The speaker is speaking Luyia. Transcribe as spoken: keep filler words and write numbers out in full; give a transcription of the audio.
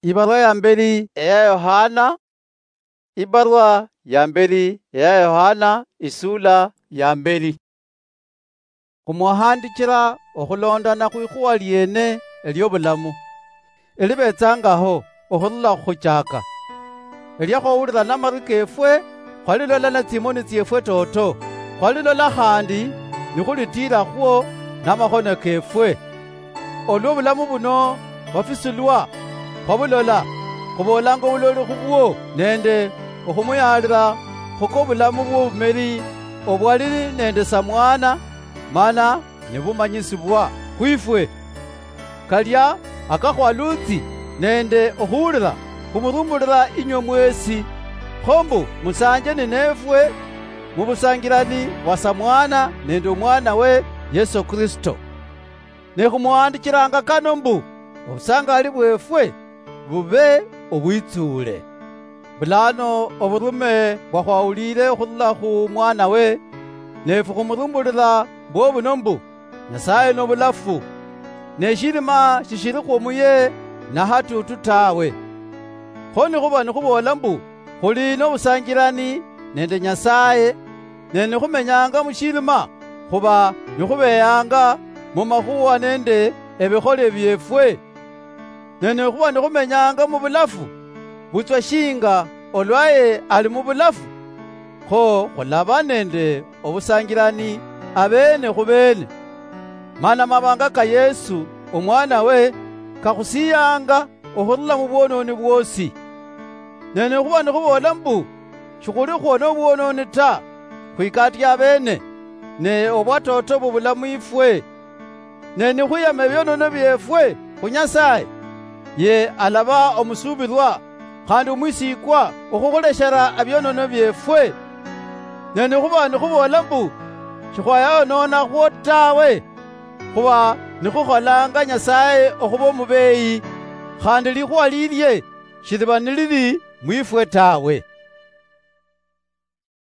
Ibarua ya mberi eya Yohana. Ibarua ya mberi eya Yohana, isula ya mberi. Khumwahandichira okhulondana khwikhuwa liene eliobulamu, elibetsangaho okhurula khukhuchaka. Elia khwahulira namarwi kefwe, khwalilola natsimoni tsiefwe toto, khwalilola khandi nikhulitiirakhwo namakhono kefwe. Olwa obulamu buno bwafisulwa, khwabulola, khuboolanga obuloli khubwo nende okhumuyaalira khukobulamu bwobumeri obwali nende samwana, mana nibumanyisibwa khwifwe. Kalia akakhwalutsi nende okhuhulira khumurumbulira inywe mwesi, kho mbu musanje ninefwe mubusangirani bwa samwana nende omwanawe Yesu Kristo. Ne khumuhandichiranga kano mbu obusangali bwefwe bube obwitsuule. Bulano oburume bwakhwahulire okhurula khu mwanawe, nefwe khumurumbulira bwobuno mbu Nyasaye nobulafu, ne shirima shishirikhwo muye nahatutu tawe. Kho nikhuba nikhuboola mbu khuli nobusanjirani nende Nyasaye, ne nikhumenyanga mushirima, khuba nikhubeyanga mumakhuwa nende ebikhole biefwe. Ne nikhuba nikhumenyanga mubulafu, butswa shinga olwaye ali mubulafu, kho khulaba nende obusanjirani abene khubene. Mana mabanga ka Yesu, omwanawe, kakhusiyanga okhurula mubwononi bwosi. Ne nikhuba nikhuboola mbu shikhulikhwo nobwononi ta, khwikatia abene, ne obwatoto bubula mwifwe. Ne nikhwiyama ebionono biefwe khu Nyasaye, ye alaba omusuubilwa khandi omwisikwa okhukhuleshera ebionono biefwe. Ne nikhuba nikhuboola mbu shikhwayaononakhwo tawe, khuba nikhukholanga Nyasaye okhuba omubeyi, khandi likhuwa lilie shiliba nilili mwifwe tawe.